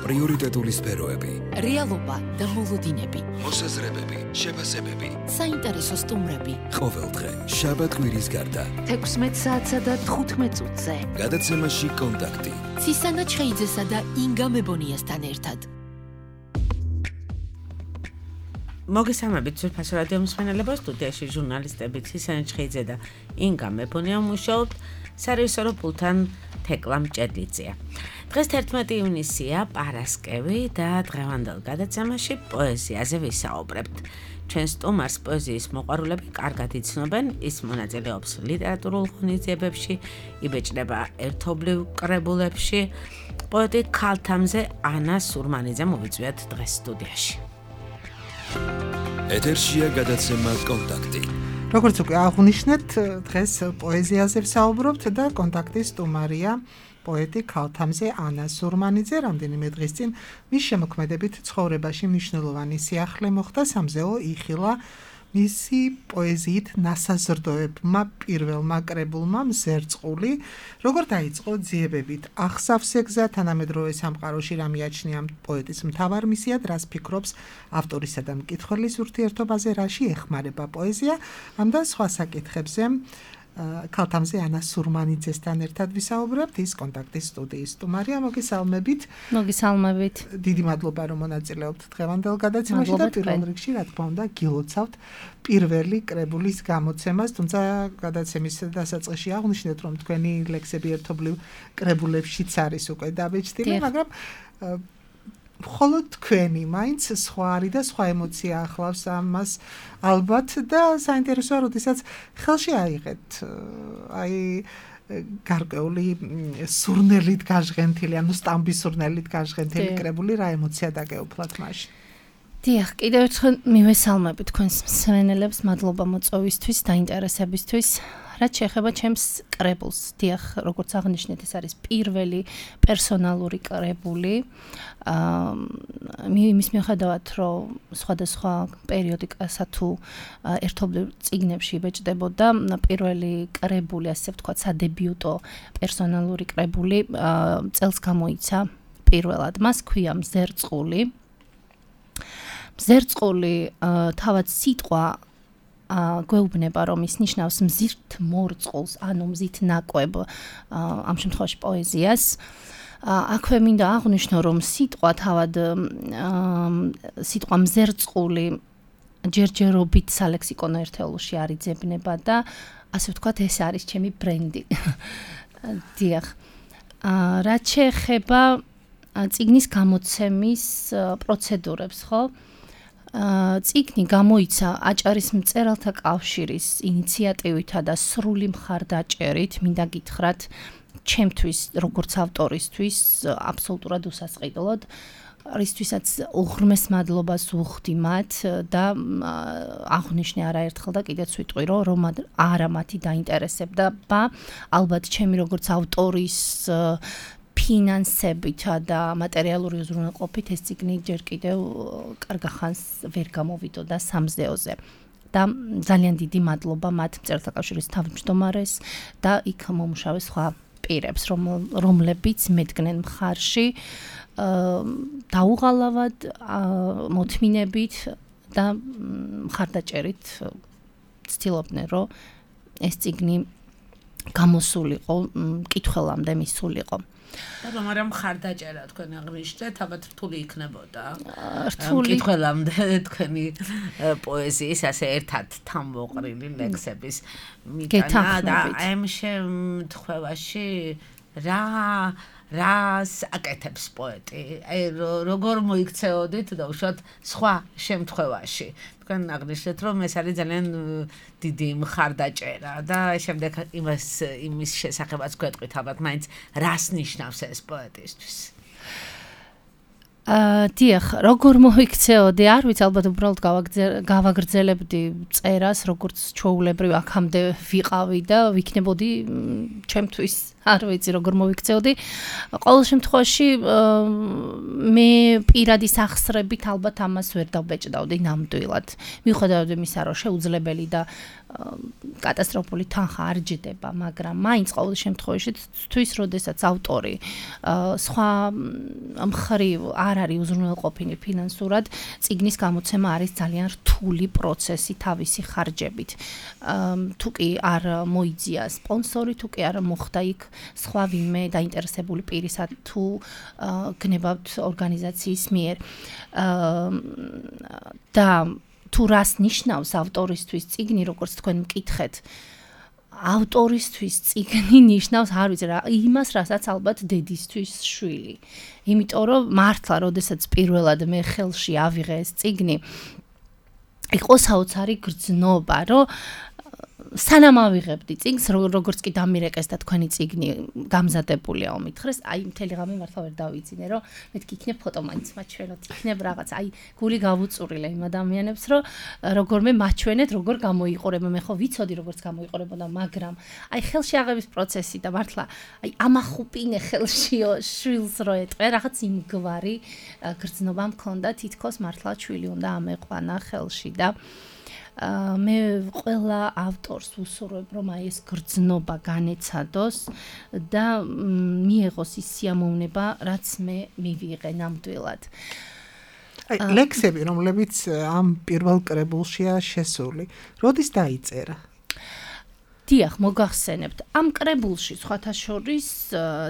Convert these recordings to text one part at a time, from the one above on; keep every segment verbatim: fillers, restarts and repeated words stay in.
პრიორიტეტული სფეროები, რეალობა და მოლოდინები, მოსაზრებები, შეფასებები, საინტერესო სტუმრები. ყოველდღე შაბათ-კვირის გარდა თექვსმეტ საათსა და თხუთმეტ წუთზე. გადაცემაში კონტაქტი. ცისანა ჩხეიძესა და ინგა მებონიასთან ერთად. მოგესალმებით ძვირფას რადიო მსმენელებო, სტუდიაში ჟურნალისტები ცისანა ჩხეიძე და ინგა მებონია მუშაობთ, სარეჟისორო პულტთან თეკლა მჭედლიძეა. დღეს თერთმეტი ივნისია, პარასკევი და დღევანდელ გადაცემაში პოეზიაზე ვისაუბრებთ. ჩვენ სტუმარს პოეზიის მოყვარულები კარგად იცნობენ, ის მონაწილეობს ლიტერატურულ ღონისძიებებში, იბეჭდება ერთობლივ კრებულებში. პოეტი ქალთამზე ანა სურმანიძე მოვიწვიათ დღეს სტუდიაში. ეთერშია გადაცემა კონტაქტი. როგორც უკვე აღვნიშნეთ, დღეს პოეზიაზე ვსაუბრობთ და კონტაქტის სტუმარია პოეტი ქალთამზე ანა სურმანიძე. რამდენიმე დღის წინ მის შემოქმედებით ცხოვრებაში მნიშვნელოვანი სიახლე მოხდა, სამზეო იხილა მისი პოეზიით ნასაზრდოებმა პირველმა კრებულმა მზერწყული. როგორ დაიწყო ძიებებით ახსავსე გზა, თანამედროვე სამყაროში რა მიაჩნია პოეტის მთავარ მისიად, რას ფიქრობს ავტორისა და მკითხველის ურთიერთობაზე, რაში ეხმარება პოეზია, ამ და სხვა საკითხებზე ქალთამზე ანა სურმანიძესთან ერთად ვისაუბრებთ. ის კონტაქტის სტუდიის სტუმარია. მოგესალმებით. მოგესალმებით. დიდი მადლობა რომ მონაწილეობთ დღევანდელ გადაცემაში და პირველ რიგში რა თქმა უნდა გილოცავთ პირველი კრებულის გამოცემას, თუმცა გადაცემის დასაწყისში აღვნიშნეთ რომ თქვენი ლექსები ერთობლივ კრებულებშიც არის უკვე დაბეჭდილი, მაგრამ მხოლოდ თქვენი მაინც სხვა არის და სხვა ემოცია ახლავს ამას ალბათ და საინტერესოა, როდესაც ხელში აიღეთ აი გარკვეული სურნელით გაჟღენთილი, ანუ სტამბის სურნელით გაჟღენთილი კრებული, რა ემოცია დაგეუფლათ მაშინ? დიახ, კიდევ ერთხელ მივესალმები თქვენს მსმენელებს, მადლობა მოწვევისთვის, დაინტერესებისთვის. რაც შეეხება ჩემს კრებულს, დიახ, როგორც აღნიშნეთ, ეს არის პირველი პერსონალური კრებული. აა იმის მიუხედავად, რომ სხვადასხვა პერიოდიკასა თუ ერთობლივ წიგნებში იბეჭდებოდა, პირველი კრებული, ასე ვთქვათ, სადებიუტო პერსონალური კრებული წელს გამოიცა პირველად. მას ქვია მზერწყული. მზერწყული თავად სიტყვა გვეუბნება, რომ ის ნიშნავს მზით მორწყულს, ანუ მზით ნაკვებ, ამ შემთხვევაში პოეზიას. აქვე მინდა აღვნიშნო, რომ სიტყვა თავად სიტყვა მზერწყული ჯერჯერობით სალექსიკონო ერთეულში არ იძებნება და ასე ვთქვათ, ეს არის ჩემი ბრენდი. დიახ. რაც შეეხება წიგნის გამოცემის პროცედურებს, ხო? წიგნი გამოიცა აჭარის მწერალთა კავშირის ინიციატივითა და სრული მხარდაჭერით, მინდა გითხრათ, ჩემთვის, როგორც ავტორისთვის, აბსოლუტურად უსასყიდლოდ, რისთვისაც უღრმეს მადლობას ვუხდი მათ და აღვნიშნე არაერთხელ და კიდეც ვიტყვი, რომ არა მათი დაინტერესებდა, ალბათ ჩემი როგორც ავტორის ფინანსებითა და მატერიალური უზრუნველყოფით ეს წიგნი ჯერ კიდევ კარგახანს ვერ გამოვიდოდა სამზეოზე. და ძალიან დიდი მადლობა მათ მწერალთა კავშირის თავმჯდომარეს და იქ მომუშავე სხვა პირებს, რომლებიც მედგნენ მხარში დაუღალავად, მოთმინებით და მხარდაჭერით ცდილობდნენ, რომ ეს წიგნი გამოსულიყო, მკითხველამდე მისულიყო. და რომ არა მხარდაჭერა თქვენ აღნიშნეთ, ალბათ რთული იქნებოდა. მკითხველამდე თქვენი პოეზიის ასე ერთად თამბოყრილი ლექსების მიტანა და ამ შემთხვევაში რა რას აკეთებს პოეტი? აი როგორ მოიქცეოდით და უშუალოდ სხვა შემთხვევაში? თქვენ აღნიშნეთ, რომ ეს არის ძალიან დიდი მხარდაჭერა და შემდეგ იმას იმის შესახებაც გვეტყვით, ალბათ მაინც რას ნიშნავს ეს პოეტისთვის? აა დიახ, როგორ მოიქცეოდი, არ ვიცი, ალბათ უბრალოდ გავაგრძელებდი წერას, როგორც ჩვეულებრივ აქამდე ვიყავი და ვიქნებოდი ჩემთვის არ ვიცი როგორ მოვიქცეოდი. ყოველ შემთხვევაში მე პირადი სახსრებით ალბათ ამას ვერ დავბეჭდავდი ნამდვილად. მიუხედავად იმისა, რომ შეუძლებელი და კატასტროფული თანხა არ ჯდება, მაგრამ მაინც ყოველ შემთხვევაში თვის როდესაც ავტორი სხვა მხრივ არ არის უზრუნველყოფილი ფინანსურად, წიგნის გამოცემა არის ძალიან რთული პროცესი თავისი ხარჯებით. თუ კი არ მოიძია სპონსორი, თუ კი არ მოხდა იქ სხვა ვინმე დაინტერესებული პირისა თუ გნებავთ ორგანიზაციის მიერ. და თუ რას ნიშნავს ავტორისთვის წიგნი, როგორც თქვენ მკითხეთ, ავტორისთვის წიგნი ნიშნავს, არ ვიცი რა, იმას, რასაც ალბათ დედისთვის შვილი. იმიტომ რომ მართლა, როდესაც პირველად მე ხელში ავიღე ეს წიგნი, იყო საოცარი გრძნობა, რომ სანამ ავიღებდი წიგნს, როგორც კი დამირეკეს და თქვენი წიგნი გამზადებულია ომითხრეს, აი მთელი ღამე მართლა ვერ დავიძინე, რომ მეთქი იქნებ ფოტო მაინც მაჩვენოთ, იქნებ რაღაც, აი გული გავუწურილე იმ ადამიანებს, რომ როგორმე მაჩვენეთ, როგორ გამოიყურება, მე ხო ვიცოდი როგორც გამოიყურებოდა, მაგრამ აი ხელში აღების პროცესი და მართლა აი ამახუპინე ხელშიო შვილს რო ეტყვე, რაღაც იმგვარი გრძნობა მქონდა, თითქოს მართლა ჩვილი უნდა ამეყვანა ხელში და მე ყველა ავტორს ვუსურვებ, რომ აი ეს გრძნობა განეცადოს და მიეღოს ის სიამოვნება, რაც მე მივიღე ნამდვილად. აი ლექსები, რომლებიც ამ პირველ კრებულშია შესული, როდის დაიწერა? დიახ, მოგახსენებთ. ამ კრებულში სხვათა შორის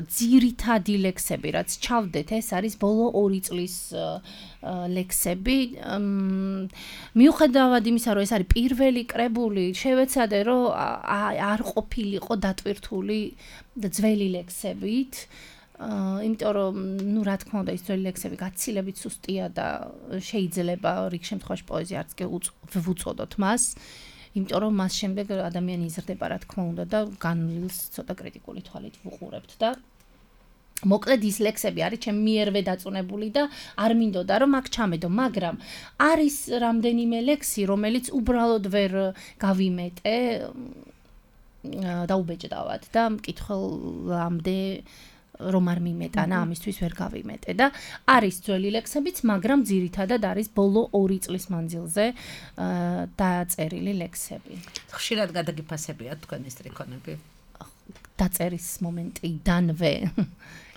ძირითადი ლექსები, რაც ჩავდეთ, ეს არის ბოლო ორი წლის ლექსები. მიუხედავად იმისა, რომ ეს არის პირველი კრებული, შევეცადე, რომ არ ყოფილიყო დატვირთული ძველი ლექსებით. იმიტომ რომ, ну, რა თქმა უნდა, ის ძველი ლექსები გაცილებით სუსტია და შეიძლება რიგ შემთხვევაში პოეზია არც კი ვუწოდოთ მას. იმიტომ რომ მას შემდეგ ადამიანი იზრდება, რა თქმა უნდა და განვლილს ცოტა კრიტიკული თვალით ვუყურებთ და მოკლედ ის ლექსები არის ჩემი მიერვე დაწუნებული და არ მინდოდა რომ აქ ჩამედო, მაგრამ არის რამდენიმე ლექსი, რომელიც უბრალოდ ვერ გავიმეტე დაუბეჭდავად და მკითხველამდე რომ არ მიმეტანა, ამისთვის ვერ გავიმეტე და არის ძველი ლექსებიც, მაგრამ ძირითადად არის ბოლო ორი წლის მანძილზე დაწერილი ლექსები. ხშირად გადაგიფასებია თქვენი სტრიქონები? დაწერის მომენტიდანვე.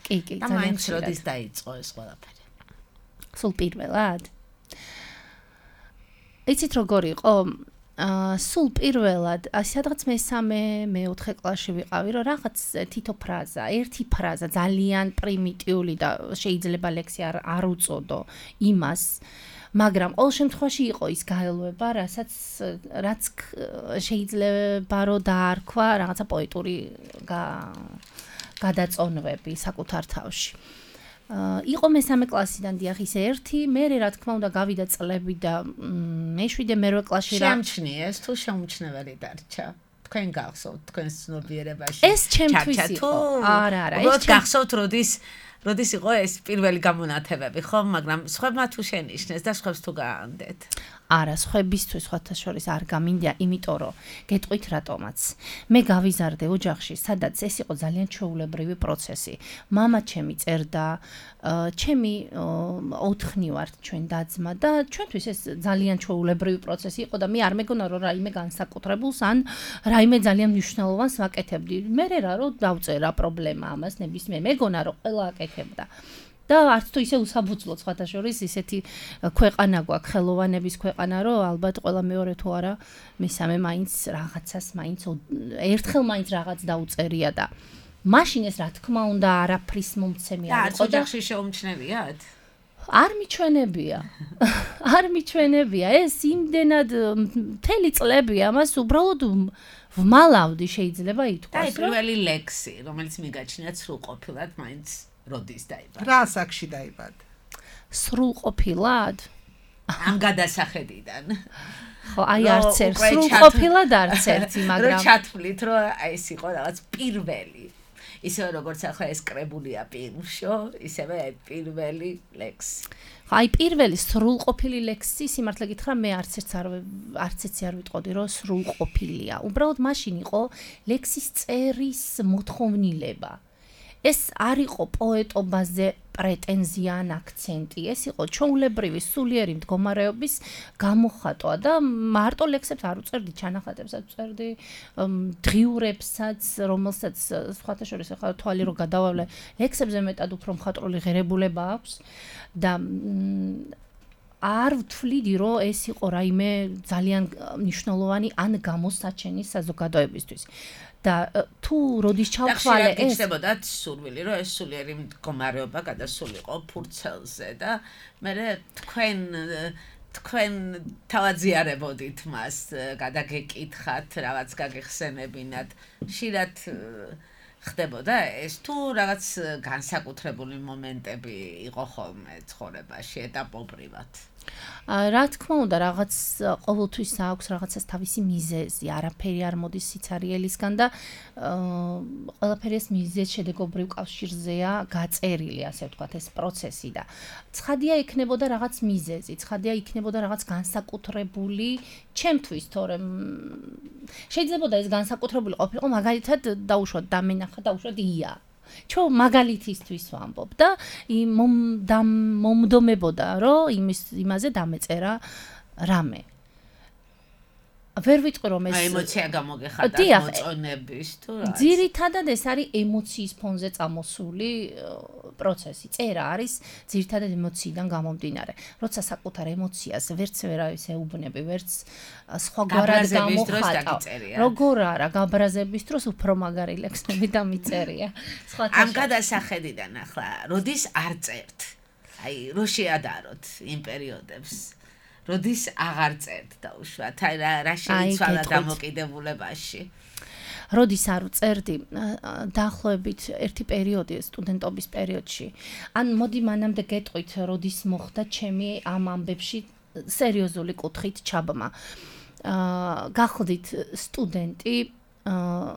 კი, კი, და მაინც როდის დაიწყო ეს ყველაფერი? სულ პირველად? იცით როგორ იყო? სულ პირველად, სადღაც მესამე, მეოთხე კლასში ვიყავი, რომ რაღაც თითო ფრაზა, ერთი ფრაზა ძალიან პრიმიტიული და შეიძლება ლექსი არ არ უწოდო იმას, მაგრამ ყოველ შემთხვევაში იყო ის გაელვება, რასაც რაც შეიძლება რომ დაარქვა რაღაცა პოეტური გადაწონვები საკუთარ თავში. იყო მესამე კლასიდან დიახ ის ერთი, მე რა თქმა უნდა გავიდა წლები და მეშვიდე მერვე კლასში რა შეამჩნიეს თუ შეუმჩნეველი დარჩა? თქვენ გახსოვთ თქვენს ცნობიერებაში? ეს ჩემთვის იყო. არა, არა, ეს გახსოვთ როდის როდის იყო ეს პირველი გამონათებები, ხო? მაგრამ სხვებმა თუ შენიშნეს და სხვებს თუ გაანდეთ? არა, სხვებისთვის სხვათა შორის არ გამინდია, იმიტომ რომ გეტყვით რატომაც. მე გავიზარდე ოჯახში, სადაც ეს იყო ძალიან ჩვეულებრივი პროცესი. მამა ჩემი წერდა, ჩემი ოთხნი ვართ ჩვენ და-ძმა და ჩვენთვის ეს ძალიან ჩვეულებრივი პროცესი იყო და მე არ მეგონა რომ რაიმე განსაკუთრებულს ან რაიმე ძალიან მნიშვნელოვანს ვაკეთებდი. მე რა რომ დავწერა პრობლემა ამას ნებისმიერ, მეგონა რომ ყველა აკეთებდა. და არც თუ ისე უსაბუძლო სხვათა შორის ისეთი ქვეყანა გვაქვს, ხელოვანების ქვეყანა, რომ ალბათ ყველა მეორე თუ არა მესამე მაინც რაღაცას მაინც ერთხელ მაინც რაღაც დაუწერია და მაშინ ეს რა თქმა უნდა არაფრის მომცემი არ იყო და ოჯახში შეუმჩნევიათ? არ მიჩვენებია. არ მიჩვენებია. ეს იმდენად მთელი წლები ამას უბრალოდ ვმალავდი შეიძლება ითქვას. და პირველი ლექსი, რომელიც მიგაჩნიათ სრულყოფილად მაინც როდის დაიბადა? რა ასაკში დაიბადა? სრულყოფილად? ამ გადასახედიდან. ხო, აი არც ერთ სრულყოფილად არც ერთი, მაგრამ რო ჩათვლით, რომ აი ეს იყო რაღაც პირველი. ისევე როგორც ახლა ეს კრებულია პირმშო, ისევე პირველი ლექსი. აი პირველი სრულყოფილი ლექსი, სიმართლე გითხრა, მე არც ერთს არ არც ერთს არ ვიტყოდი, რომ სრულყოფილია. უბრალოდ მაშინ იყო ლექსის წერის მოთხოვნილება. ეს არ იყო პოეტობაზე პრეტენზია ან აქცენტი, ეს იყო ჩვეულებრივი სულიერი მდგომარეობის გამოხატვა და მარტო ლექსებს არ უწერდი, ჩანახატებსაც უწერდი, დღიურებსაც, რომელსაც სხვათა შორის ახლა თვალი რო გადავავლე, ლექსებზე მეტად უფრო მხატვრული ღირებულება აქვს და არ ვთვლიდი, რომ ეს იყო რაიმე ძალიან მნიშვნელოვანი ან გამოსაჩენი საზოგადოებისთვის. და თუ როდის ჩავთვალე ეს გიჩნდებოდა სურვილი რომ ეს სულიერი მდგომარეობა გადასულიყო ფურცელზე და მე თქვენ თქვენ თავაზიარებოდით მას გადაგეკითხათ რაღაც გაგეხსენებინათ ხშირად ხდებოდა ეს თუ რაღაც განსაკუთრებული მომენტები იყო ხოლმე ცხოვრებაში ეტაპობრივად რა თქმა უნდა რაღაც ყოველთვის აქვს რაღაცას თავისი მიზეზი, არაფერი არ მოდის სიცარიელისგან და ყველაფერი ეს მიზეზ შედეგობრივ კავშირზეა გაწერილი, ასე ვთქვათ, ეს პროცესი და ცხადია იქნებოდა რაღაც მიზეზი, ცხადია იქნებოდა რაღაც განსაკუთრებული ჩემთვის, თორემ შეიძლებოდა ეს განსაკუთრებული ყოფილიყო, მაგალითად დაუშვათ დამენახა, დაუშვათ ია. Čo მაგალითისთვის ვამბობ და მომდომებოდა, რომ იმის იმაზე დამეწერა რამე. ვერ ვიტყვი რომ ეს ემოცია გამოგეხადა მოწონების თუ რა. ძირითადად ეს არის ემოციის ფონზე წამოსული პროცესი. წერა არის ძირითადად ემოციიდან გამომდინარე. როცა საკუთარ ემოციას ვერც ვერავის ეუბნები, ვერც სხვაგვარად გამოხატავ. როგორ არა, გაბრაზების დროს უფრო მაგარი ლექსები დამიწერია. ამ გადასახედიდან ახლა, როდის არ წერთ? აი, რო შეადაროთ იმ პერიოდებს. როდის აღარ წერთ დაუშვათ, აი რა შეიცვალა დამოკიდებულებაში. როდის არ წერდი, დაახლოებით ერთი პერიოდი სტუდენტობის პერიოდში. ან მოდი მანამდე გეტყვით, როდის მოხდა ჩემი ამ ამბებში სერიოზული კუთხით ჩაბმა. გახლდით სტუდენტი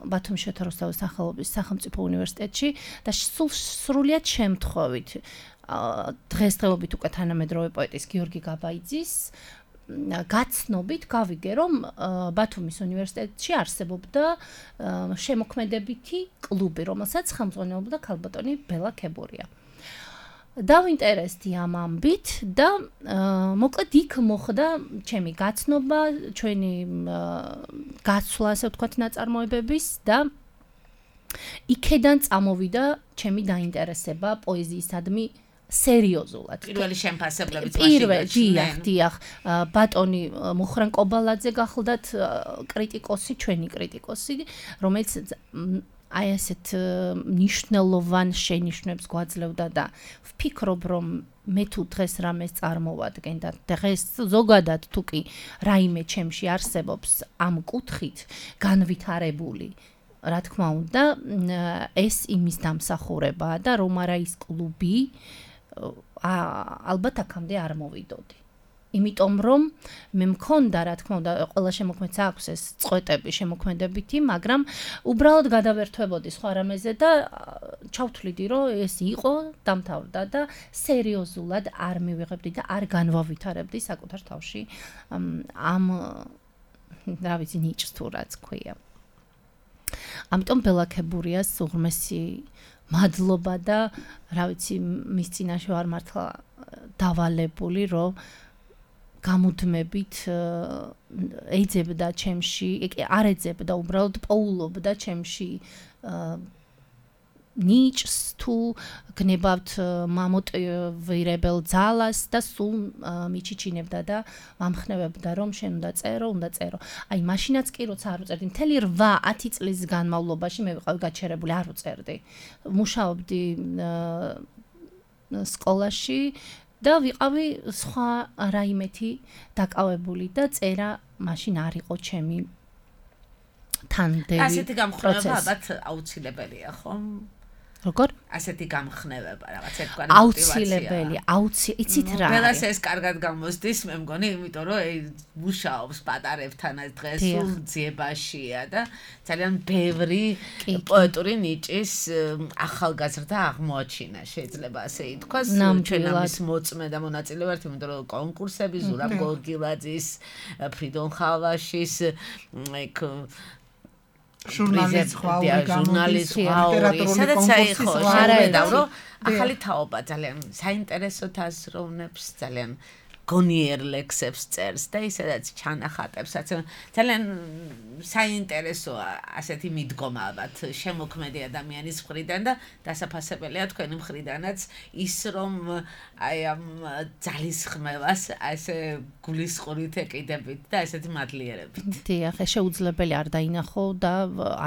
ბათუმის შოთა რუსთავის სახელობის სახელმწიფო უნივერსიტეტში და სულ სრულიად შემთხვევით დღესდღეობით უკვე თანამედროვე პოეტის გიორგი გაბაიძის გაცნობით გავიგე, რომ ბათუმის უნივერსიტეტში არსებობდა შემოქმედებითი კლუბი, რომელსაც ხელმძღვანელობდა ქალბატონი ბელა ქებურია. დავინტერესდი ამ ამბით და მოკლედ იქ მოხდა ჩემი გაცნობა, ჩვენი გაცვლა, ასე ვთქვათ, ნაწარმოებების და იქედან წამოვიდა ჩემი დაინტერესება პოეზიისადმი სერიოზულად. პირველი შემფასებლებიც პირველ დიახ, დიახ, ბატონი მუხრან კობალაძე გახლდათ კრიტიკოსი, ჩვენი კრიტიკოსი, რომელიც აი ასეთ ნიშნულოვან შენიშვნებს გვაძლევდა და ვფიქრობ, რომ მე თუ დღეს რამეს წარმოვადგენ და დღეს ზოგადად თუ კი რაიმე ჩემში არსებობს ამ კუთხით განვითარებული რა თქმა უნდა, ეს იმის დამსახურებაა და რომ არა ის კლუბი ალბათ აქამდე არ მოვიდოდი. იმიტომ რომ მე მქონდა, რა თქმა უნდა, ყველა შემოქმედს აქვს ეს წყვეტები შემოქმედებითი, მაგრამ უბრალოდ გადავერთვებოდი სხვა რამეზე და ჩავთვლიდი, რომ ეს იყო, დამთავრდა და სერიოზულად არ მივიღებდი და არ განვავითარებდი საკუთარ თავში ამ რა ვიცი ნიჭს თუ რაც ქვია. ამიტომ ბელა ქებურიას უღრმესი მადლობა და რა ვიცი მის წინაშე ვარ მართლა დავალებული, რომ გამუდმებით ეძებდა ჩემში, არ ეძებდა, უბრალოდ პოულობდა ჩემში ნიჭს თუ გნებავთ მამოტივირებელ ძალას და სულ მიჩიჩინებდა და მომხნევებდა რომ შენ უნდა წერო, უნდა წერო. აი მაშინაც კი როცა არ უწერდი, მთელი რვა ათი წლის განმავლობაში მე ვიყავი გაჩერებული, არ უწერდი. მუშაობდი სკოლაში და ვიყავი სხვა რაიმეთი დაკავებული და წერა მაშინ არ იყო ჩემი თანდელი. ასეთი გამხნევა ალბათ აუცილებელია, ხო? როგორ? ასეთი გამხნევება, რაღაც ერთგვარი მოტივაცია. აუცილებელი, აუცილებელი, იცით რა? ყველას ეს კარგად გამოსდის, მე მგონი, იმიტომ რომ მუშაობს პატარებთან დღეს სულ ძიებაშია და ძალიან ბევრი პოეტური ნიჭის ახალგაზრდა აღმოაჩინა, შეიძლება ასე ითქვას. ჩვენ ამის მოწმე და მონაწილე ვართ, იმიტომ რომ კონკურსები ზურაბ გოგილაძის, ფრიდონ ხალვაშის, ეგ ჟურნალისტ ხვაური ჟურნალისტ ხვაური სადაც აიხო შეხედა რომ ახალი თაობა ძალიან საინტერესო აზროვნებს ძალიან გონიერ ლექსებს წერს და ისედაც ჩანახატებსაც ძალიან საინტერესოა ასეთი მიდგომა ალბათ შემოქმედი ადამიანის მხრიდან და დასაფასებელია თქვენი მხრიდანაც ის რომ აი ამ ძალისხმევას ასე გულისყურით ეკიდებით და ასეთი მადლიერებით. დიახ, შეუძლებელი არ დაინახო და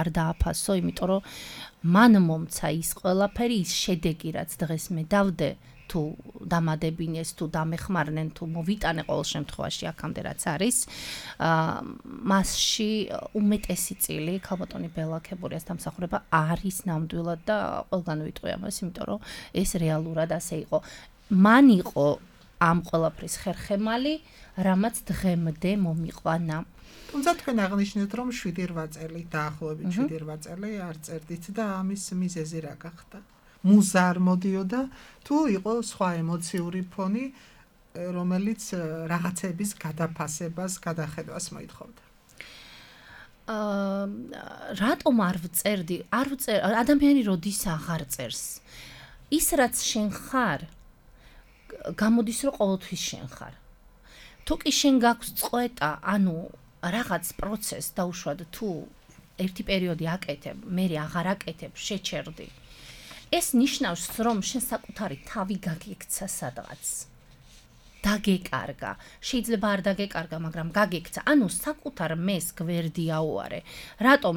არ დააფასო, იმიტომ რომ მან მომცა ის ყველაფერი, ის შედეგი რაც დღეს მე დავდე თუ დამადებინეს თუ დამეხმარნენ თუ მოვიტანე ყოველ შემთხვევაში აქამდე რაც არის მასში უმეტესი წილი ქალბატონი ბელა ქებურიას დამსახურება არის ნამდვილად და ყველგან ვიტყვი ამას, იმიტომ რომ ეს რეალურად ასე იყო. მან იყო ამ ყველაფრის ხერხემალი, რამაც დღემდე მომიყვანა. თუმცა თქვენ აღნიშნეთ, რომ შვიდი რვა წელი დაახლოებით შვიდი რვა წელი არ წერდით და ამის მიზეზი რა გახდა? მუზა არ მოდიოდა თუ იყო სხვა ემოციური ფონი, რომელიც რაღაცების გადაფასებას, გადახედვას მოითხოვდა? აა რატომ არ ვწერდი? არ ვწერ ადამიანი როდის აღარ წერს. ის რაც შენ ხარ, გამოდის რომ ყოველთვის შენ ხარ. თუ კი შენ გაქვს წყვეტა, ანუ რაღაც პროცესს დაუშვად თუ ერთი პერიოდი აკეთებ, მე აღარ აკეთებ, შეჩერდი. ეს ნიშნავს, რომ შენ საკუთარი თავი გაგექცა სადღაც. დაგეკარგა. შეიძლება არ დაგეკარგა, მაგრამ გაგექცა. ანუ საკუთარ მეს გვერდი აუარე. რატომ?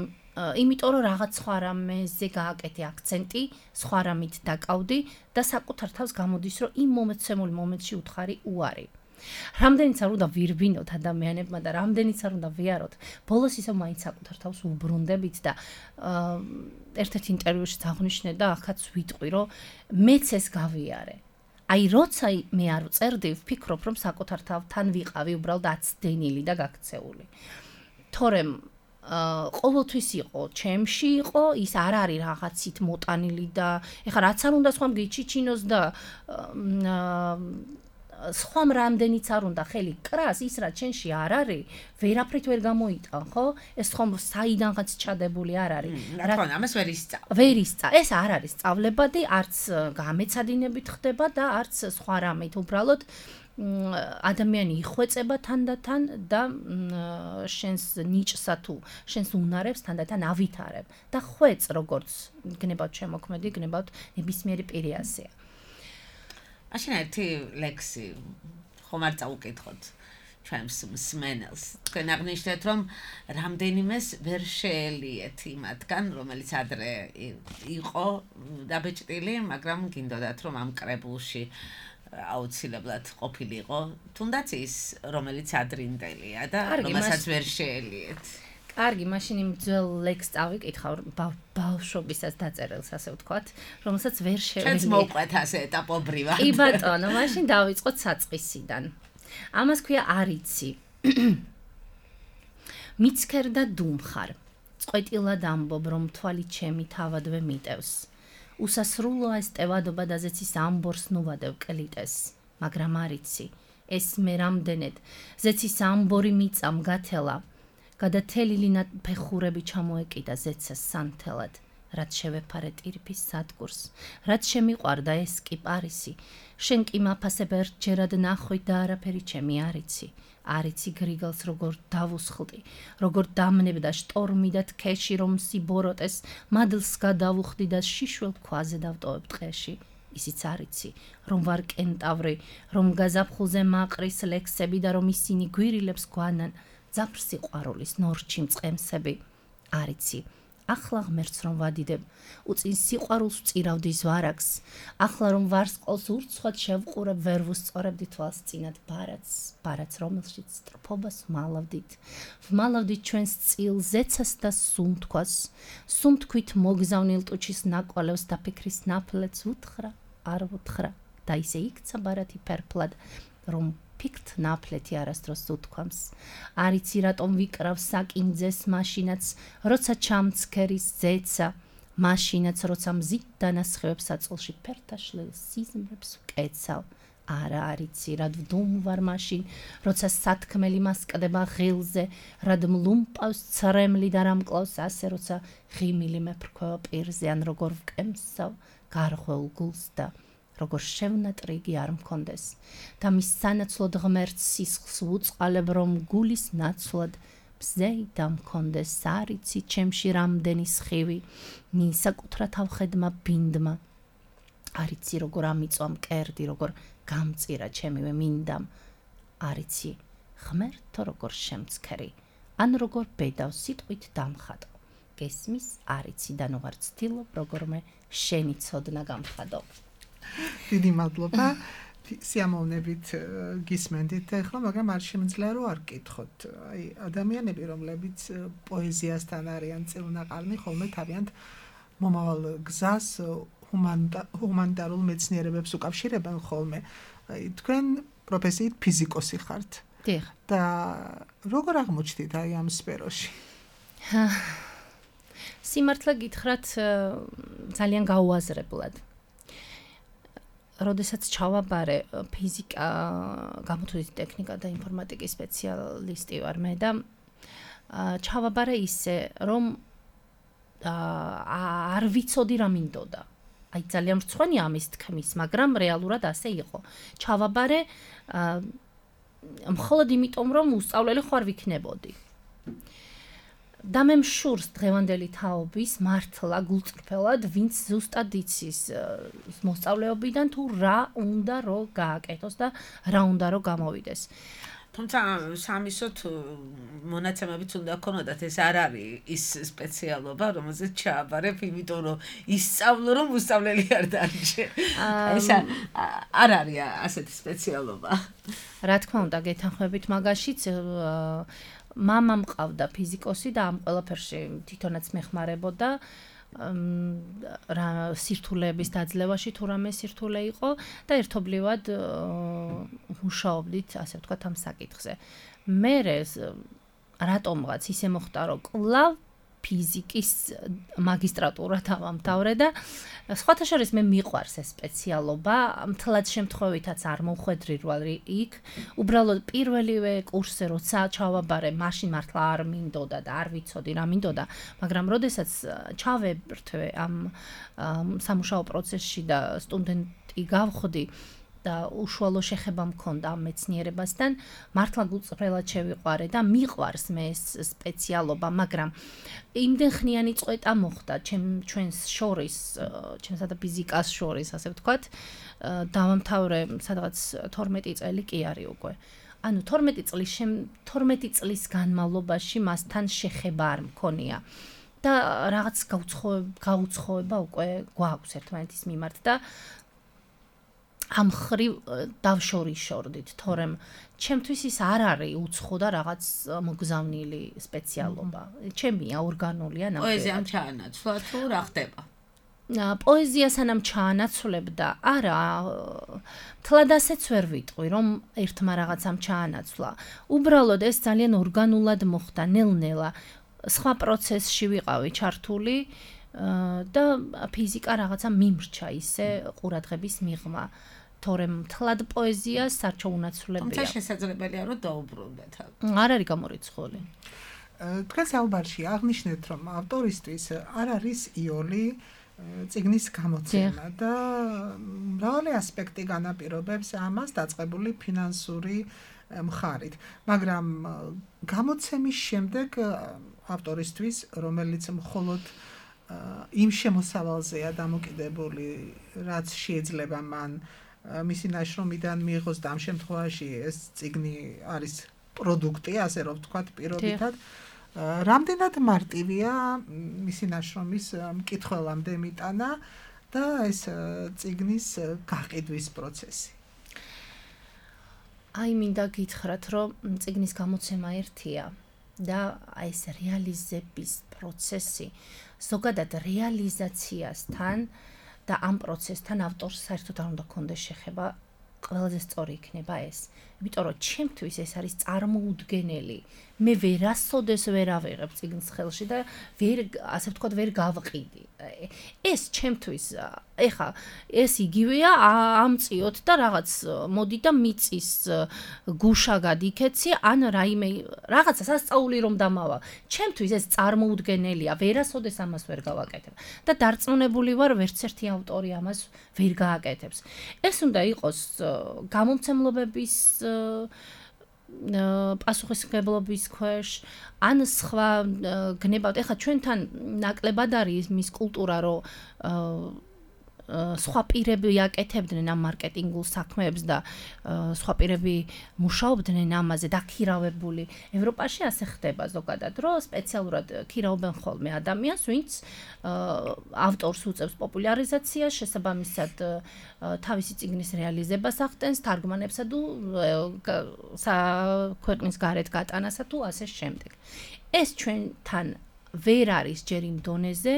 იმიტომ რომ რაღაც სხვა რამეზე გააკეთე აქცენტი, სხვა რამით დაკავდი და საკუთარ თავს გამოდის, რომ იმ მომეცემულ მომენტში უთხარი უარი. რამდენიც არ უნდა ვირბინოთ ადამიანებმა და რამდენიც არ უნდა ვიაროთ, ბოლოს ისევ მაინც საკუთარ თავს უბრუნდებით და ერთ-ერთ ინტერვიუში აღნიშნე და ახაც ვიტყვი, რომ მეც ეს გავიარე. აი, როცა მე არ ვწერდი, ვფიქრობ, რომ საკუთარ თავთან ვიყავი უბრალოდ აცდენილი და გაქცეული. თორემ ყოველთვის იყო, ჩემში იყო, ის არ არის რაღაცით მოტანილი და ეხლა რაც არ უნდა სხვამ გიჩიჩინოს და სხვამ რამდენიც არ უნდა ხელი კრას, ის რაც შენში არ არის, ვერაფრით ვერ გამოიტან, ხო? ეს ხომ საიდანღაც ჩადებული არ არის. რა თქმა უნდა, ამას ვერ ისწავლ. ვერ ისწავლ. ეს არ არის სწავლებადი, არც გამეცადინებით ხდება და არც სხვა რამით, უბრალოდ ადამიანი იხვეწება თანდათან და შენს ნიჭსა თუ შენს უნარებს თანდათან ავითარებ და ხვეწ როგორც გნებავთ შემოქმედი, გნებავთ ნებისმიერი პირი ასეა. მაშინ ერთი ლექსი ხომ არ წაუკითხოთ ჩვენს მსმენელს. თქვენ აღნიშნეთ, რომ რამდენიმეს ვერ შეელიეთ იმათგან, რომელიც ადრე იყო დაბეჭდილი, მაგრამ გინდოდათ, რომ ამ კრებულში აუცილებლად ყოფილიყო, თუნდაც ის, რომელიც ადრინდელია და რომელსაც ვერ შეელიეთ. კარგი, მაშინ იმ ძველ ლექსს წავიკითხავ, ბავშვობისას დაწერილს, ასე ვთქვათ, რომელსაც ვერ შეველიე. ჩვენც მოვყვეთ ასე ეტაპობრივად. კი ბატონო, მაშინ დავიწყოთ საწყისიდან. ამას ქვია არიცი. მიცქერ და დუმხარ. წყვეტილად ამბობ, რომ თვალი ჩემი თავადვე მიტევს. უსასრულოა ეს ტევადობა და ზეცის ამბორს ნუვადევ კლიტეს, მაგრამ არიცი. ეს მე რამდენად ზეცის ამბორი მიწამ გათელა. გადათელილი ფეხურები ჩამოეკიდა ზეცას სანთელად, რაც შევეფარე ტირფის სადგურს, რაც შემიყვარდა ეს კი პარისი, შენ კი მაფასებ ერთჯერად ნახვი და არაფერი ჩემი არიცი, არიცი გრიგალს როგორ დავუსხლდი, როგორ დამნებდა შტორმი და თქეში, რომ სიბოროტეს, მადლს გადავუხდი და შიშველ ქვაზე დავტოვებ ტყეში. ისიც არიცი, რომ ვარ კენტავრი, რომ გაზაფხულზე მაყრის ლექსები და რომ ისინი გვირილებს გვანან, ძაფრ სიყვარულის ნორჩი მწყემსები. არიცი, ახლა ღმერთს რომ ვადიდებ, უწინ სიყვარულს ვწირავდი ზვარაკს, ახლა რომ ვარსყოლს ურცხვად შევყურებ, ვერ ვუსწორებდი თვალს წინათ ბარათს, ბარათს რომელშიც სტროფობას ვმალავდით, ვმალავდით ჩვენს წილ ზეცას და სუმთქვას, სუმთქვით მოგზავნილ ტუჩის ნაკვალევს და ფიქრის ნაფლეთს უთხრა, არ ვუთხრა და ისე იქცა ბარათი ფერფლად, რომ ფიქრთ ნაფლეთი არასდროს უთქვამს. არ იცი რატომ ვიკრავ საკინძეს მაშინაც, როცა ჩამცქერის ზეცა, მაშინაც როცა მზით დანასხევებს აწოლში ფერთაშლილ სიზმრებს ვკეცავ. არა არ იცი რად ვდუმვარ მაშინ, როცა სათქმელი მასკდება ღილზე, რად მლუმპავს ცრემლი და რამკლავს ასე, როცა ღიმილი მეფრქვევა პირზე, ან როგორ ვკემსავ გარღვეულ გულს და როგორ შევნატრიგი არ მქონდეს და მის სანაცვლოდ ღმერთს სისხლს ვუწყალებ, რომ გულის ნაცვლად მზეი დამქონდეს, არ იცი ჩემში რამდენი სხივი მისაკუთრა თავხედმა ბინდმა, არ იცი როგორ ამიწვა მკერდი, როგორ გამწირა ჩემივე მინდამ, არ იცი ღმერთო როგორ შემცქერი, ან როგორ ბედავს სიტყვით დამხატო, გესმის არ იცი და ნუ არ ცდილობ როგორმე შენი ცოდნა გამხადო. დიდი მადლობა. სიამოვნებით გისმენდით ახლა, მაგრამ არ შემიძლია რომ არ გკითხოთ. აი, ადამიანები, რომლებიც პოეზიასთან არიან წილნაყარნი, ხოლმე თავიანთ მომავალ გზას ჰუმანიტარულ მეცნიერებებს უკავშირებენ ხოლმე. აი, თქვენ პროფესიით ფიზიკოსი ხართ. დიახ. და როგორ აღმოჩნდით აი ამ სფეროში? სიმართლე გითხრათ, ძალიან გაუაზრებლად. როდესაც ჩავაბარე ფიზიკა, გამოთვლითი ტექნიკა და ინფორმატიკის სპეციალისტი ვარ მე და ჩავაბარე ისე, რომ არ ვიცოდი რა მინდოდა. აი ძალიან მრცხვენი ამის თქმის, მაგრამ რეალურად ასე იყო. ჩავაბარე მხოლოდ იმიტომ, რომ უსწავლელი ხარ ვიქნებოდი. და მე მშურს დღევანდელი თაობის მართლა გულწრფელად, ვინც ზუსტად იცის მოსწავლეობიდან თუ რა უნდა რომ გააკეთოს და რა უნდა რომ გამოვიდეს. თუმცა სამისოთ მონაცემებიც უნდა ქონოდათ, ეს არ არის ის სპეციალობა, რომელზეც ჩააბარებ, იმიტომ რომ ისწავლო, რომ უსწავლელი არ დარჩე. ეს არ არის ასეთი სპეციალობა. რა თქმა უნდა, გეთანხმებით მაგაშიც მამა მყავდა ფიზიკოსი და ამ ყველაფერში თვითონაც მეხმარებოდა რა სირთულეების დაძლევაში თუ რამე სირთულე იყო და ერთობლივად მუშაობდით, ასე ვთქვათ, ამ საკითხზე. მე რატომღაც ისე მოხდა, რომ კლავ ფიზიკის მაგისტრატურა დავამთავრე და სხვათა შორის მე მიყვარს ეს სპეციალობა, მთლად შემთხვევითაც არ მომხვედრი რვალ იქ, უბრალოდ პირველივე კურსზე როცა ჩავაბარე, მაშინ მართლა არ მინდოდა და არ ვიცოდი რა მინდოდა, მაგრამ როდესაც ჩავებრთვე ამ სამუშაო პროცესში და სტუდენტი გავხდი და უშუალო შეხება მქონდა ამ მეცნიერებასთან, მართლა გულწრფელად შევიყვარე და მიყვარს მე ეს სპეციალობა, მაგრამ იმდენ ხნიანი წყვეტა მოხდა ჩვენს შორის, ჩვენსა და ფიზიკას შორის, ასე ვთქვათ, დავამთავრე სადღაც თორმეტი წელი კი არის უკვე. ანუ თორმეტი წლის თორმეტი წლის განმავლობაში მასთან შეხება არ მქონია. და რაღაც გაუცხოება უკვე გვაქვს ერთმანეთის მიმართ და ამ ხრივ დავშორიშორდით, თორემ ჩემთვის ის არ არის უცხო და რაღაც მოგზავნილი სპეციალობა. ჩემია ორგანულია ნამდვილად. პოეზიამ ჩაანაცვლა თუ რა ხდება? პოეზია სანამ ჩაანაცვლებდა, არა, თლად ასეც ვერ ვიტყვი, რომ ერთმა რაღაცამ ჩაანაცვლა. უბრალოდ ეს ძალიან ორგანულად მოხდა, ნელ-ნელა. სხვა პროცესში ვიყავი ჩართული და ფიზიკა რაღაცა მიმრჩა ისე ყურადღების მიღმა. თორემ თლად პოეზია სარჩო უნაცვლებია. თუმცა შესაძლებელია რომ დაუბრუნდეთ. არ არის გამორიცხული. თქვენ საუბარში აღნიშნეთ, რომ ავტორისთვის არ არის იოლი წიგნის გამოცემა და მრავალი ასპექტი განაპირობებს ამას დაწყებული ფინანსური მხარით. მაგრამ გამოცემის შემდეგ ავტორისთვის, რომელიც მხოლოდ იმ შემოსავალზეა დამოკიდებული, რაც შეიძლება მან მისი ნაშრომიდან მიიღოს და ამ შემთხვევაში ეს წიგნი არის პროდუქტი, ასე რომ ვთქვათ, პირობითად. რამდენად მარტივია მისი ნაშრომის მკითხველამდე მიტანა და ეს წიგნის გაყიდვის პროცესი? აი მინდა გითხრათ, რომ წიგნის გამოცემა ერთია და აი ეს რეალიზების პროცესი ზოგადად რეალიზაციასთან და ამ პროცესთან ავტორს საერთოდ არ უნდა კონდეს შეხება, ყველაზე სწორი იქნება ეს. იმიტომ რომ ჩემთვის ეს არის წარმოუდგენელი. მე ვერასოდეს ვერ ავიღებ წიგნს ხელში და ვერ ასე ვთქვათ ვერ გავყიდი. ეს ჩემთვის ეხა ეს იგივეა ამწიოთ და რაღაც მოდი და მიწის გუშა გადიქეცი ან რაიმე რაღაცა სასწაული რომ დამავა. ჩემთვის ეს წარმოუდგენელია, ვერასოდეს ამას ვერ გავაკეთებ და დარწმუნებული ვარ ვერც ერთი ავტორი ამას ვერ გააკეთებს. ეს უნდა იყოს გამომცემლობების პასუხისმგებლობის ქვეშ ან სხვა გნებავთ. ეხლა ჩვენთან ნაკლებად არის მის კულტურა, რომ სხვა პირები აკეთებდნენ ამ მარკეტინგულ საქმეებს და სხვა პირები მუშაობდნენ ამაზე დაქირავებული. ევროპაში ასე ხდება ზოგადად, რომ სპეციალურად ქირავენ ხოლმე ადამიანს, ვინც ავტორს უწევს პოპულარიზაციას, შესაბამისად თავისი წიგნის რეალიზებას ახდენს, თარგმანებსა თუ ქვეყნის გარეთ გატანასა თუ ასე შემდეგ. ეს ჩვენთან ვერ არის ჯერ იმ დონეზე,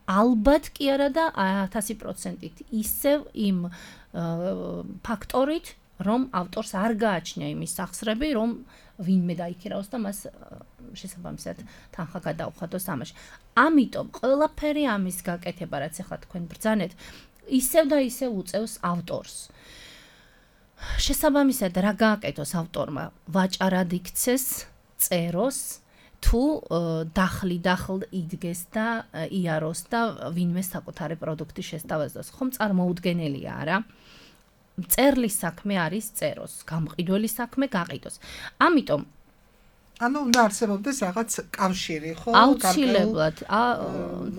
ალბათ კი არა და ათასი პროცენტით ისევ იმ ფაქტორით, რომ ავტორს არ გააჩნია იმის სახსრები, რომ ვინმე დაიქირავს და მას შესაბამისად თანხა გადაუხადოს ამაში. ამიტომ ყველაფერი ამის გაკეთება, რაც ახლა თქვენ ბრძანეთ, ისევ და ისევ უწევს ავტორს. შესაბამისად რა გააკეთოს ავტორმა? ვაჭარად იქცეს, წეროს თუ დახლი დახლ იდგეს და იაროს და ვინმე საკუთარი პროდუქტი შესთავაზოს. ხომ წარმოუდგენელია, არა? წერლის საქმე არის წეროს, გამყიდველი საქმე გაყიდოს. ამიტომ ანუ უნდა არსებობდეს რაღაც კავშირი, ხო? აუცილებლად,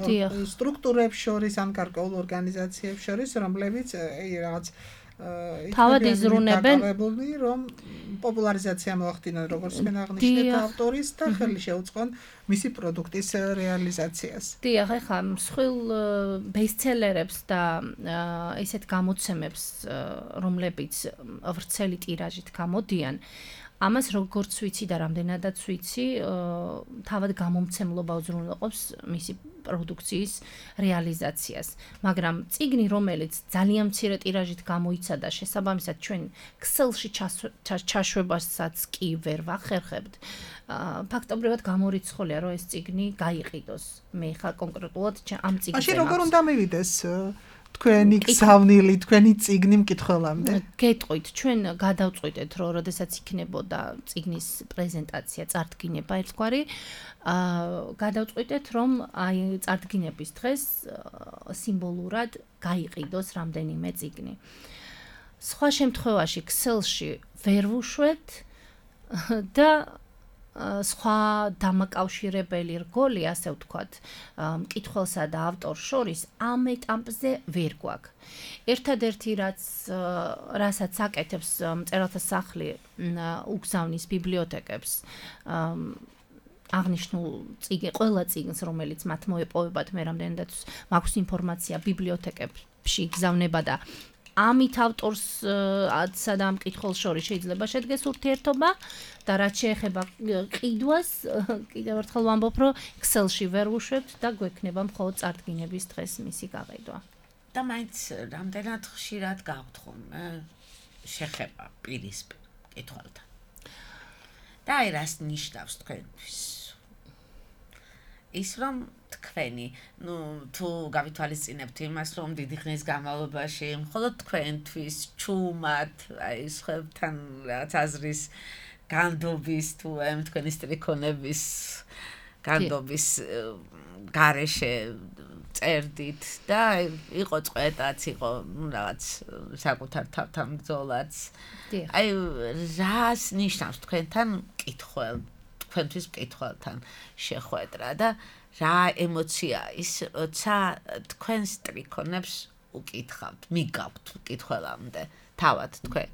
დიახ. სტრუქტურებს შორის, ან გარკვეულ ორგანიზაციებს შორის, რომლებიც რაღაც თავად იზრუნებენ, რომ პოპულარიზაცია მოახდინონ, როგორც თქვენ აღნიშნეთ, ავტორის და ხელი შეუწყონ მისი პროდუქტის რეალიზაციას. დიახ, ეხლა მსხვილ ბესტსელერებს და ისეთ გამოცემებს, რომლებიც ვრცელი ტირაჟით გამოდიან, ამას როგორც ვიცი და რამდენადაც ვიცი, თავად გამომცემლობა უზრუნველყოფს მისი პროდუქციის რეალიზაციას. მაგრამ წიგნი, რომელიც ძალიან მცირე ტირაჟით გამოიცა და შესაბამისად ჩვენ ქსელში ჩაშვებასაც კი ვერ ვახერხებთ, ფაქტობრივად გამორიცხულია, რომ ეს წიგნი გაიყიდოს. მე ხა კონკრეტულად ამ წიგნზე. მაშინ როგორ უნდა მივიდეს თქვენი გზავნილი, თქვენი წიგნი მკითხველამდე? გეტყვით, ჩვენ გადავწყვიტეთ, რომ როდესაც იქნებოდა წიგნის პრეზენტაცია, წარდგინება ერთგვარი, აა გადავწყვიტეთ, რომ აი წარდგინების დღეს სიმბოლურად გაიყიდოს რამდენიმე წიგნი. სხვა შემთხვევაში ქსელში ვერ ვუშვებთ და სხვა დამაკავშირებელი რგოლი, ასე ვთქვათ, მკითხველსა და ავტორს შორის ამ ეტაპზე ვერ გვაქვს. ერთადერთი რაც რასაც აკეთებს მწერალთა სახლი უგზავნის ბიბლიოთეკებს აღნიშნულ წიგნ, ყველა წიგნს, რომელიც მათ მოეპოვებათ, მე რამდენადაც მაქვს ინფორმაცია ბიბლიოთეკებში გზავნება და ამით ავტორსა და მკითხველს შორის შეიძლება შედგეს ურთიერთობა და რაც შეეხება ყიდვას, კიდევ ერთხელ ვამბობ, რომ ქსელში ვერ ვუშვებთ და გვექნება მხოლოდ წარდგინების დღეს მისი გაყიდვა. და მაინც რამდენად ხშირად გავთ ხოლმე შეხება პირისპირ მკითხველთან. და აი რას ნიშნავს თქვენთვის? ის რომ თქვენი, ნუ თუ გავითვალისწინებთ იმას, რომ დიდი ხნის განმავლობაში მხოლოდ თქვენთვის ჩუმად, აი სხვებთან რაღაც აზრის განდობის თუ ამ თქვენი სტრიქონების განდობის გარეშე წერდით და იყო წყვეტაც, იყო რაღაც საკუთარ თავთან ბრძოლაც. აი რას ნიშნავს თქვენთან მკითხველ, თქვენთვის მკითხველთან შეხვედრა და რა ემოცია ის, როცა თქვენ სტრიქონებს უკითხავთ, მიგავთ მკითხველამდე, თავად თქვენ?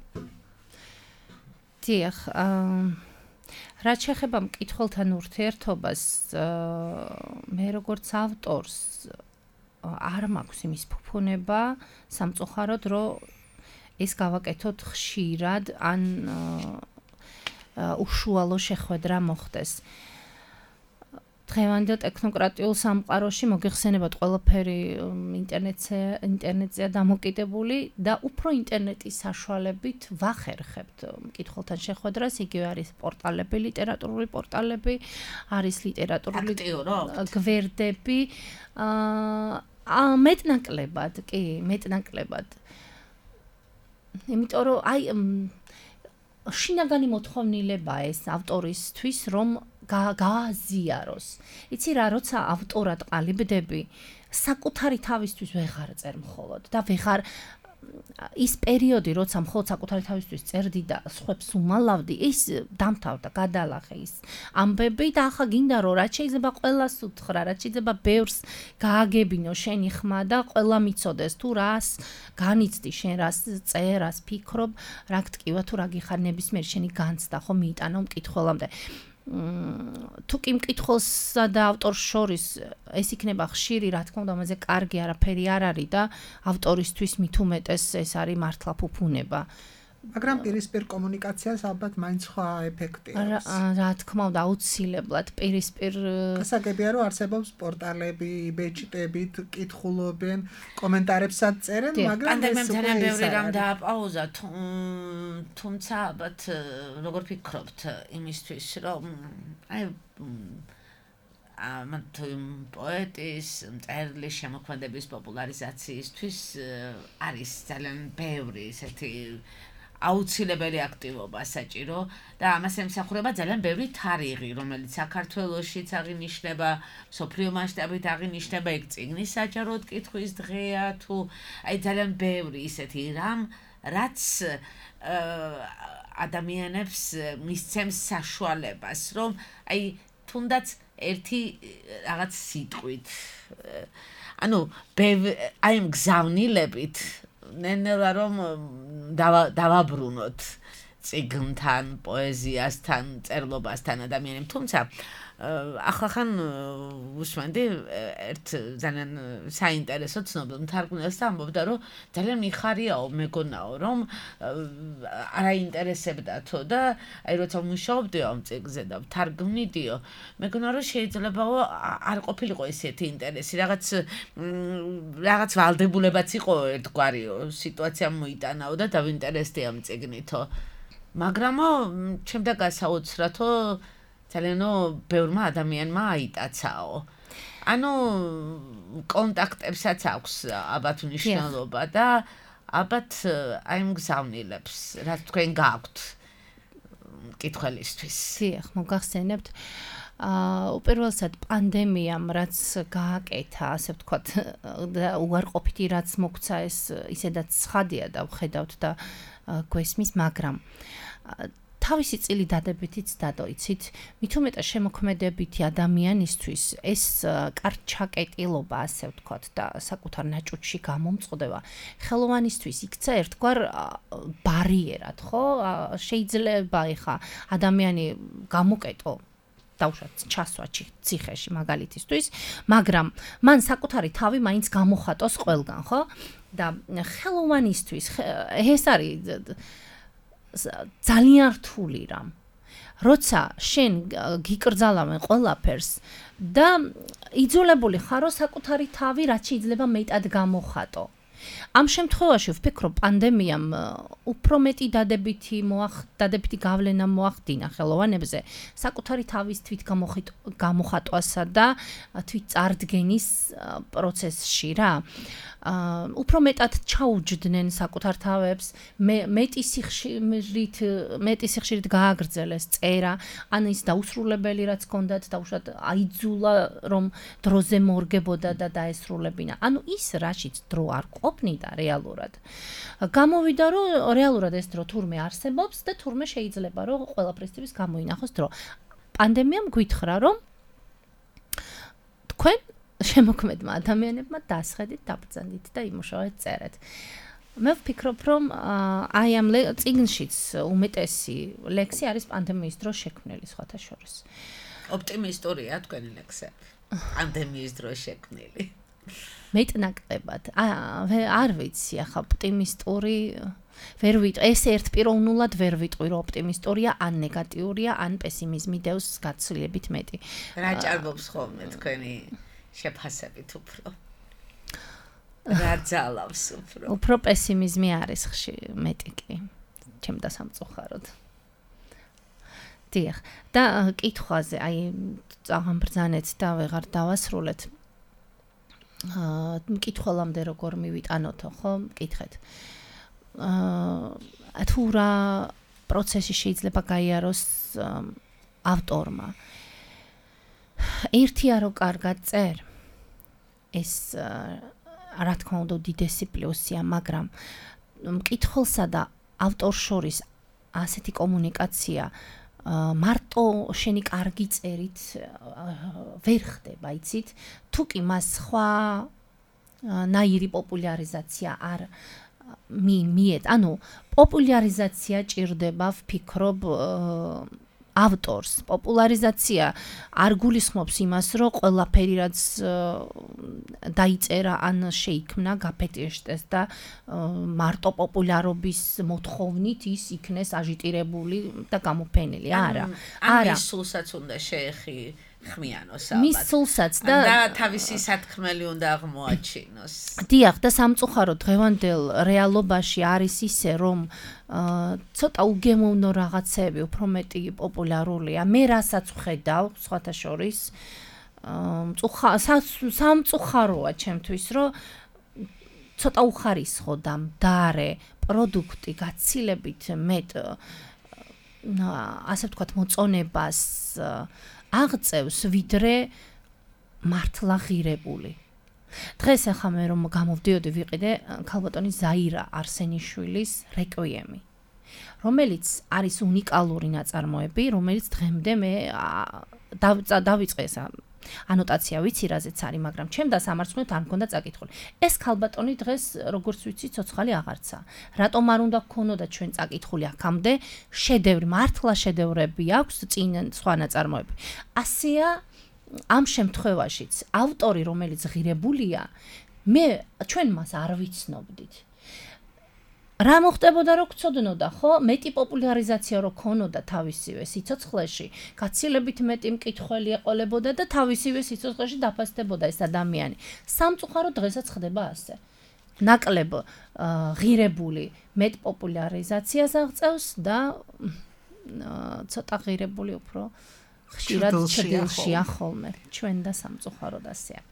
დიახ, რაც შეეხება მკითხველთან ურთიერთობას, მე როგორც ავტორს არ მაქვს იმის ფუფუნება სამწუხაროდ, რომ ეს გავაკეთოთ ხშირად ან უშუალო შეხვედრა მოხდეს. დღევანდელ ტექნოკრატიულ სამყაროში მოგიხსენებათ ყველაფერი ინტერნეტზე ინტერნეტზეა დამოკიდებული და უფრო ინტერნეტის საშუალებით ვახერხებთ მკითხველთან შეხვედრას, იგივე არის პორტალები, ლიტერატურული პორტალები, არის ლიტერატურული გვერდები, აა მეტნაკლებად, კი, მეტნაკლებად. იმიტომ რომ აი შინაგანი მოთხოვნილებაა ეს ავტორისთვის, რომ გააზიაროს. იცი რა, როცა ავტორად ყალიბდები, საკუთარი თავისთვის ვეღარ წერ მხოლოდ და ვეღარ ის პერიოდი, როცა მხოლოდ საკუთარი თავისთვის წერდი და სხვებს უმალავდი, ის დამთავრდა, გადალახე ის ამბები და ახლა გინდა რომ რაც შეიძლება ყველას უთხრა, რაც შეიძლება ბევრს გააგებინო შენი ხმა და ყველა მიცოდეს თუ რას განიცდი შენ, რას წერ, რას ფიქრობ, რა გტკივა თუ რა გიხარ ნებისმიერ შენი განცდა ხო მიიტანო მკითხველამდე. თუ კი მკითხველსა და ავტორს შორის ეს იქნება ხშირი, რა თქმა უნდა, ამაზე კარგი არაფერი არ არის და ავტორისთვის მით უმეტეს ეს არის მართლა ფუფუნება. მაგრამ პირისპირ კომუნიკაციას ალბათ მაინც სხვა ეფექტი აქვს. რა თქმა უნდა, აუცილებლად პირისპირ გასაგებია, რომ არსებობს პორტალები, ბეჭდებით, კითხულობენ, კომენტარებსაც წერენ, მაგრამ პანდემიამ ძალიან ბევრი რამ დააპაუზა, თუმცა ალბათ როგორ ფიქრობთ იმისთვის, რომ აი ამ პოეტის მწერლის შემოქმედების პოპულარიზაციისთვის არის ძალიან ბევრი ესეთი აუცილებელი აქტივობა საჭირო და ამას ემსახურება ძალიან ბევრი თარიღი, რომელიც საქართველოშიც აღინიშნება, მსოფლიო მასშტაბით აღინიშნება, ეგ წიგნის საჯაროდ კითხვის დღეა თუ აი ძალიან ბევრი ისეთი რამ, რაც ადამიანებს მისცემს საშუალებას, რომ აი თუნდაც ერთი რაღაც სიტყვით ანუ აი მგზავნილებით ნენელა რომ დავაბრუნოთ წიგნთან, პოეზიასთან, წერლობასთან ადამიანებს, თუმცა ახლა უსმენდი ერთ ძალიან საინტერესო ცნობილ მთარგმნელს და ამბობდა, რომ ძალიან მიხარიაო, მეგონაო, რომ არაინტერესებდათო და აი როცა მუშაობდიო ამ წიგნზე და ვთარგმნიდიო, მეგონა რომ შეიძლებაო არ ყოფილიყო ესეთი ინტერესი, რაღაც რაღაც ვალდებულებაც იყო ერთგვარიო, სიტუაცია მოიტანაო და დავინტერესდი ამ წიგნითო. მაგრამო ჩემდა გასაოცრათო ძალიანო ბევრმა ადამიანმა აიტაცაო. ანუ კონტაქტებსაც აქვს ალბათ მნიშვნელობა და ალბათ აი მგზავნილებს, რაც თქვენ გააქვთ მკითხველისთვის. დიახ, მოგახსენებთ. აა უპირველესად პანდემიამ რაც გააკეთა, ასე ვთქვათ, და უარყოფითი რაც მოგვცა ეს ისედაც ცხადია და ვხედავთ და გვესმის, მაგრამ თავისი წილი დადებითიც დადოიცით, მით უმეტეს შემოქმედებითი ადამიანისთვის ეს კარჩაკეტილობა, ასე ვთქვათ, და საკუთარ ნაჭუჭში გამომწყვდება, ხელოვანისთვის იქცა ერთგვარ ბარიერად, ხო? შეიძლება ეხა ადამიანი გამოკეტო დავუშვათ ჩასვა ციხეში მაგალითისთვის, მაგრამ მან საკუთარი თავი მაინც გამოხატოს ყველგან, ხო? და ხელოვანისთვის ეს არის ძალიან რთული რამ. როცა შენ გიკრძალავენ ყველაფერს და იძულებული ხარო საკუთარი თავი რაც შეიძლება მეტად გამოხატო. ამ შემთხვევაში ვფიქრობ პანდემიამ უფრო მეტი დადებითი მოახ დადებითი გავლენა მოახდინა ხელოვანებზე საკუთარი თავის თვით გამოხატვასა და თვით წარდგენის პროცესში რა. უფრო მეტად ჩაუჯდნენ საკუთარ თავებს, მეტი სიხშირით, მეტი სიხშირით გააგრძელეს წერა, ან ის დაუსრულებელი რაც ჰქონდათ, დაუშვათ აიძულა რომ დროზე მორგებოდა და დაესრულებინა. ანუ ის რაშიც დრო არ ყოფნიდა რეალურად. გამოვიდა რომ რეალურად ეს დრო თურმე არსებობს და თურმე შეიძლება რომ ყველაფრისთვის გამოინახოს დრო. პანდემიამ გვითხრა რომ თქვენ შემოქმედმა ადამიანებმა დასხედით, დაბრძანდით და იმუშავეთ წერეთ. მე ვფიქრობ, რომ აი ამ წიგნშიც უმეტესი ლექსი არის პანდემიის დროს შექმნილი სხვათა შორის. ოპტიმისტურია თქვენი ლექსები. პანდემიის დროს შექმნილი. მეტნაკლებად. არ ვიცი, ახლა ოპტიმისტური ვერ ვიტყვი, ეს ერთპიროვნულად ვერ ვიტყვი, რომ ოპტიმისტურია ან ნეგატიურია, ან პესიმიზმი დევს გაცილებით მეტი. რა ჭარბობს ხოლმე თქვენი შეფასებით უფრო? რა ძალავს უფრო? უფრო პესიმიზმი არის ხშირ მეტი კი, ჩემ დასამწუხაროდ. დიახ, და კითხვაზე, აი წაღამ ბრძანეთ და ვეღარ დავასრულეთ. აა კითხველამდე როგორ მივიტანოთო, ხო? მკითხეთ. აა თუ რა პროცესი შეიძლება გაიაროს ავტორმა. ერთია რომ კარგად წერ. ეს რა თქმა უნდა უდიდესი პლუსია, მაგრამ მკითხველსა და ავტორს შორის ასეთი კომუნიკაცია მარტო შენი კარგი წერით ვერ ხდება, იცით? თუ კი მას სხვა ნაირი პოპულარიზაცია არ მიეთ, ანუ პოპულარიზაცია ჭირდება, ვფიქრობ, ავტორს. პოპულარიზაცია არ გულისხმობს იმას, რომ ყველაფერი რაც დაიწერა ან შეიქმნა გაფეთეშტეს და მარტო პოპულარობის მოთხოვნით ის იქნეს აჟიტირებული და გამოფენილი. არა. არა. მის სულსაც უნდა შეეხი ხმიანოს ალბათ. მის სულსაც და და თავისი სათქმელი უნდა აღმოაჩინოს. დიახ, და სამწუხაროდ დღევანდელ რეალობაში არის ისე, რომ ცოტა უგემოვნო რაღაცები უფრო მეტი პოპულარულია. მე რასაც ვხედავ, სხვათა შორის, სამწუხაროა ჩემთვის, რომ ცოტა უხარისხო და მდარე პროდუქტი გაცილებით მეტ ასე ვთქვათ მოწონებას აღწევს, ვიდრე მართლა ღირებული. დღეს ახლა მე რომ გამოვდიოდი ვიყიდე ქალბატონი ზაირა არსენიშვილის რეკვიემი, რომელიც არის უნიკალური ნაწარმოები, რომელიც დღემდე მე დავიწყე ეს ანოტაცია ვიცი რაზეც არის, მაგრამ ჩემ დასამარცხნივ არ მქონდა წაკითხული. ეს ქალბატონი დღეს როგორც ვიცი ცოცხალი აღარცა. რატომ არ უნდა გქონოდა ჩვენ წაკითხული აქამდე? შედევრი, მართლა შედევრები აქვს, წინ სხვა ნაწარმოები. ასეა ამ შემთხვევაშიც ავტორი, რომელიც ღირებულია, მე ჩვენ მას არ ვიცნობდით. რა მოხდებოდა რო გწოდნოდა, ხო? მეტი პოპულარიზაცია რო ქონოდა თავისივე სიცოცხლეში, გაცილებით მეტი მკითხველი ეყოლებოდა და თავისივე სიცოცხლეში დაფასდებოდა ეს ადამიანი. სამწუხაროდ დღესაც ხდება ასე. ნაკლებ ღირებული მეტ პოპულარიზაციას აღწევს და ცოტა ღირებული უფრო ხშირად ჭრილშია ხოლმე. ჩვენ და სამწუხაროდ ასეა.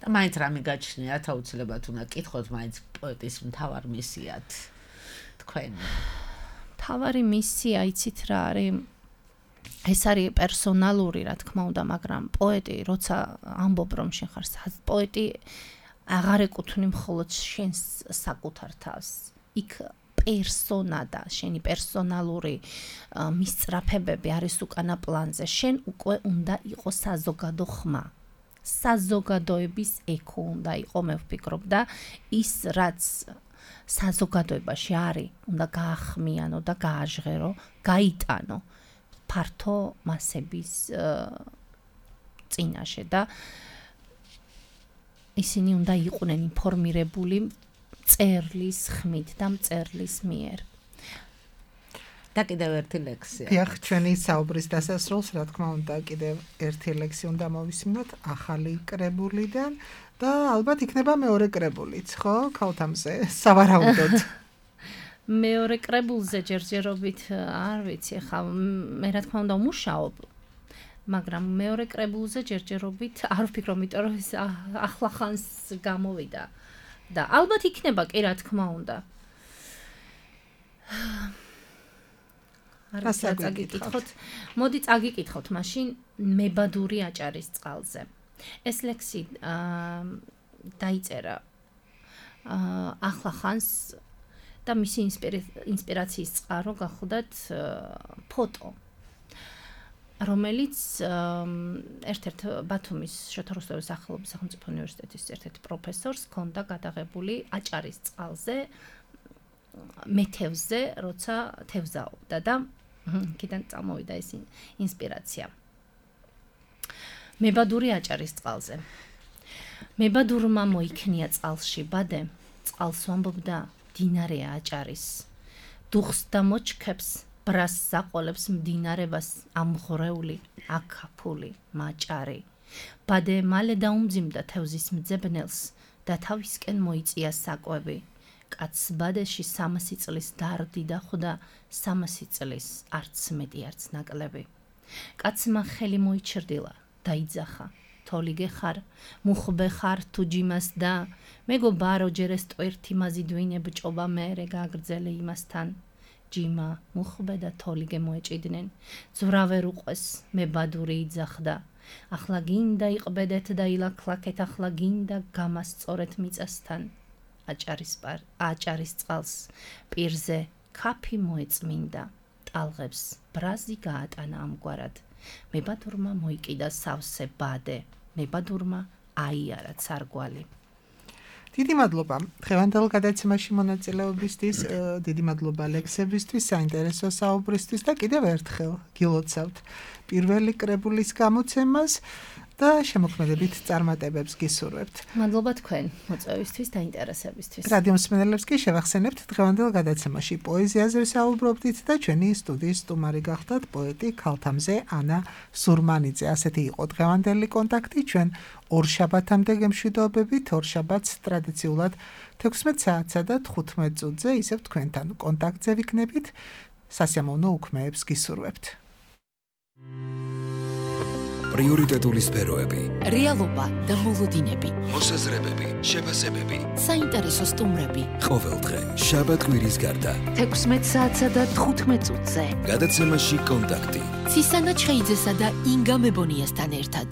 და მაინც რამე გაჩნიათ, აუცილებლად უნდა კითხოთ მაინც პოეტის მთავარ მისიად თქვენ. მთავარი მისია იცით რა არის? ეს არის პერსონალური, რა თქმა უნდა, მაგრამ პოეტი, როცა ამბობ რომ შენ ხარ პოეტი, აღარ ეკუთვნი მხოლოდ შენს საკუთარ თავს. იქ პერსონა და შენი პერსონალური მისწრაფებები არის უკანა პლანზე. შენ უკვე უნდა იყოს საზოგადო ხმა. საზოგადოების ექო უნდა იყო, მე ვფიქრობ და ის რაც საზოგადოებაში არის, უნდა გაახმიანო და გააჟღერო, გაიტანო ფართო მასების წინაშე და ისინი უნდა იყვნენ ინფორმირებული წერლის ხმით და მწერლის მიერ. და კიდევ ერთი ლექსია. დიახ, ჩვენი საუბრის დასასრულს, რა თქმა უნდა, კიდევ ერთი ლექსი უნდა მოვისმინოთ ახალი კრებულიდან და ალბათ იქნება მეორე კრებულიც, ხო? ქალთამზე, სავარაუდოდ. მეორე კრებულზე ჯერჯერობით არ ვიცი, ხა მე რა თქმა უნდა ვმუშაობ, მაგრამ მეორე კრებულზე ჯერჯერობით არ ვფიქრობ, იმიტომ რომ ეს ახლა ხანს გამოვიდა და ალბათ იქნება კი რა თქმა უნდა. არ წაგიკითხოთ. მოდი წაგიკითხოთ მაშინ მებადური აჭარის წყალზე. ეს ლექსი დაიწერა ახლა ხანს და მისი ინსპირაციის წყარო გახლდათ ფოტო, რომელიც ერთ-ერთ ბათუმის შოთა რუსთავის სახელობის სახელმწიფო უნივერსიტეტის ერთ-ერთ პროფესორს ჰქონდა გადაღებული აჭარის წყალზე მე თევზზე, როცა თევზაობდა და იქიდან წამოვიდა ეს ინსპირაცია. მებადური აჭარის წყალზე. მებადურმა მოიქნია წყალში ბადე, წყალს ვამბობდა მდინარე აჭარის. დუხს და მოჩქებს, ბრას საყოლებს მდინარებას ამღრეული, აკაფული, მაჭარი. ბადე მალე დაუმძიმდა თევზის მძებნელს და თავისკენ მოიწია საკვები. კაცს ბადეში სამასი წლის დარდი და ხვდა სამასი წლის არც მეტი არც ნაკლები. კაცმა ხელი მოიჩრდილა, დაიძახა. თოლიგე ხარ, მუხბე ხარ თუ ჯიმას და მეგობა როჯერეს ტვერთი მაზიდვინე ბჭობა მერე გაგრძელე იმასთან. ჯიმა, მუხბე და თოლიგე მოეჭიდნენ. ზვრავერ უყვეს, მებადური იძახდა. ახლა გინდა იყბედეთ და ილაქლაკეთ, ახლა გინდა გამასწორეთ მიწასთან. აჭარის პარ, აჭარის წყალს პირზე ქაფი მოეწმინდა. ტალღებს ბრაზი გაატანა ამგვარად. მებადურმა მოიკიდა სავსე ბადე. მებადურმა აიარა ცარგვალი. დიდი მადლობა დღევანდელ გადაცემაში მონაწილეობისთვის, დიდი მადლობა ლექსებისთვის, საინტერესო საუბრისთვის და კიდევ ერთხელ გილოცავთ პირველი კრებულის გამოცემას და შემოქმედებით წარმატებებს გისურვებთ. მადლობა თქვენ მოწვევისთვის და ინტერესებისთვის. რადიო მსმენელებს კი შევახსენებთ დღევანდელ გადაცემაში პოეზიაზე ვსაუბრობდით და ჩვენი სტუდიის სტუმარი გახდათ პოეტი ქალთამზე ანა სურმანიძე. ასეთი იყო დღევანდელი კონტაქტი. ჩვენ ორ შაბათამდე გემშვიდობებით, ორ შაბათს ტრადიციულად თექვსმეტ საათსა და თხუთმეტ წუთზე ისევ თქვენთან კონტაქტზე ვიქნებით. სასიამოვნო უქმეებს გისურვებთ. პრიორიტეტული სფეროები, რეალობა და მოლოდინები, მოსაზრებები, შეფასებები, საინტერესო სტუმრები. ყოველდღე შაბათ კვირის გარდა თექვსმეტ საათსა და თხუთმეტ წუთზე გადაცემაში კონტაქტი. ცისანა ჩხეიძესა და ინგა მებონიასთან ერთად.